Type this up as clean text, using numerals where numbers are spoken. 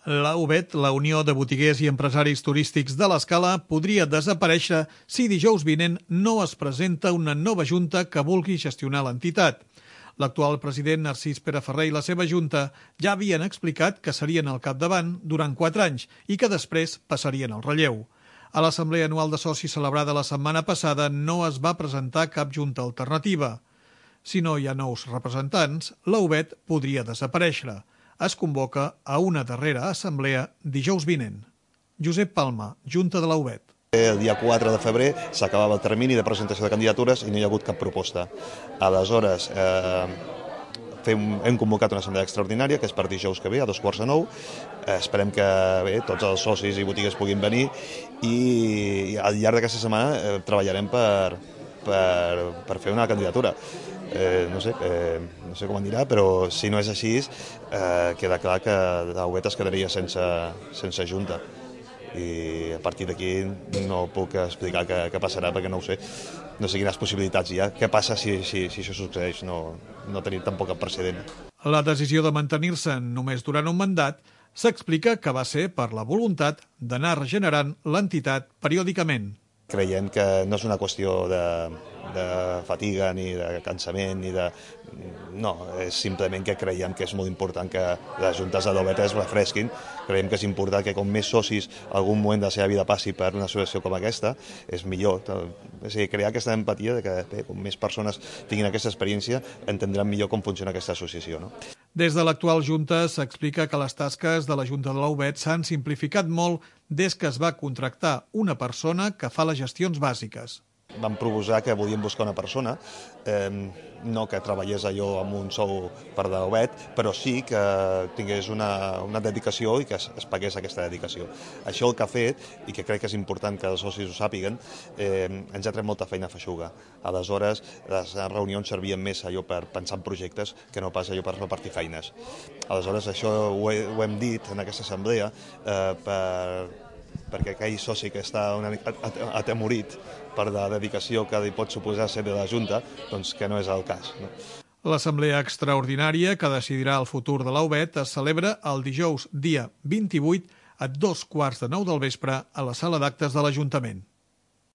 La UBET, la Unió de Botiguers i Empresaris Turístics de l'Escala, podria desaparèixer si dijous vinent no es presenta una nova junta que vulgui gestionar l'entitat. L'actual president Narcís Pere Ferrer i la seva junta ja havien explicat que serien al capdavant durant 4 anys i que després passarien al relleu. A l'Assemblea Anual de Socis celebrada la setmana passada no es va presentar cap junta alternativa. Si no hi ha nous representants, la UBET podria desaparèixer. Es convoca a una darrera assemblea dijous vinent. Josep Palma, Junta de la UBET. El dia 4 de febrer s'acabava el termini de presentació de candidatures i no hi ha hagut cap proposta. Aleshores, hem convocat una assemblea extraordinària, que és per dijous que ve, a 8:45. Esperem que tots els socis i botigues puguin venir i al llarg d'aquesta setmana treballarem per fer una candidatura. No sé com anirà, però si no és així, queda clar que la UBET es quedaria sense junta. I a partir d'aquí no puc explicar què passarà perquè no ho sé. No sé quines possibilitats hi ha. Què passa si això succeeix? No tenim tampoc cap precedent. La decisió de mantenir-se només durant un mandat s'explica que va ser per la voluntat d'anar regenerant l'entitat periòdicament. Creiem que no és una qüestió de fatiga ni de cansament no, és simplement que creiem que és molt important que les juntes de l'UBET es refresquin. Creiem que és important que com més socis algun moment de la seva vida passi per una associació com aquesta, és millor. És a dir, crear aquesta empatia de que com més persones tinguin aquesta experiència entendran millor com funciona aquesta associació. No? Des de l'actual Junta s'explica que les tasques de la Junta de la UBET s'han simplificat molt des que es va contractar una persona que fa les gestions bàsiques. Vam proposar que volíem buscar una persona, no que treballés allò amb un sou per de l'UBET, però sí que tingués una dedicació i que es pagués aquesta dedicació. Això el que ha fet, i que crec que és important que els socis ho sàpiguen, ens ha tret molta feina feixuga. Aleshores, les reunions servien més allò per pensar en projectes que no pas allò per repartir feines. Aleshores, això ho hem dit en aquesta assemblea perquè aquell soci que està una mica atemorit per la dedicació que li pot suposar ser de la Junta, doncs que no és el cas. No? L'assemblea extraordinària que decidirà el futur de la UBET es celebra el dijous dia 28 a 8:15 del vespre a la sala d'actes de l'Ajuntament.